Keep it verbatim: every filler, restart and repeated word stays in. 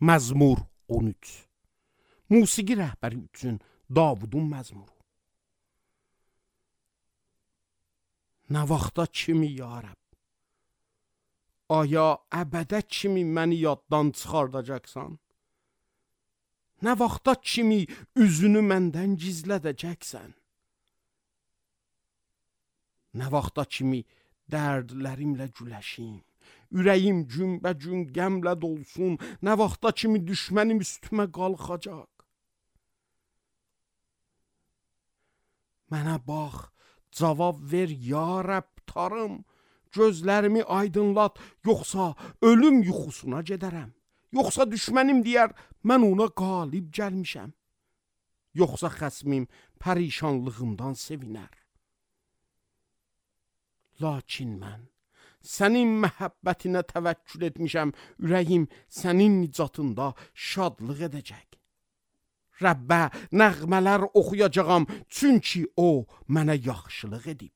Məzmur on üç. Musiqi rəhbəri üçün Davudun məzmuru. Nə vaxta kimi ya Rəbb? Aya əbədə kimi məni yaddan çıxardacaqsan? Nə vaxta kimi üzünü məndən gizlədəcəksən? Nə vaxta kimi dərdlərimlə güləşim? Ürəyim günbə-gün qəmlə dolsun? Nə vaxta kimi düşmənim üstümə qalxacaq? Mənə bax, cavab ver ya Rəbb tarım. Gözlərimi aydınlat, yoxsa ölüm yuxusuna gedərəm. Yoxsa düşmənim deyər, mən ona qalib gəlmişəm. Yoxsa xəsmim pərişanlığımdan sevinər. Lakin mən sənin məhəbbətinə təvəkkül etmişəm, ürəyim sənin nicatında şadlıq edəcək. Rəbbə nəğmələr oxuyacağam, çünki o mənə yaxşılıq edib.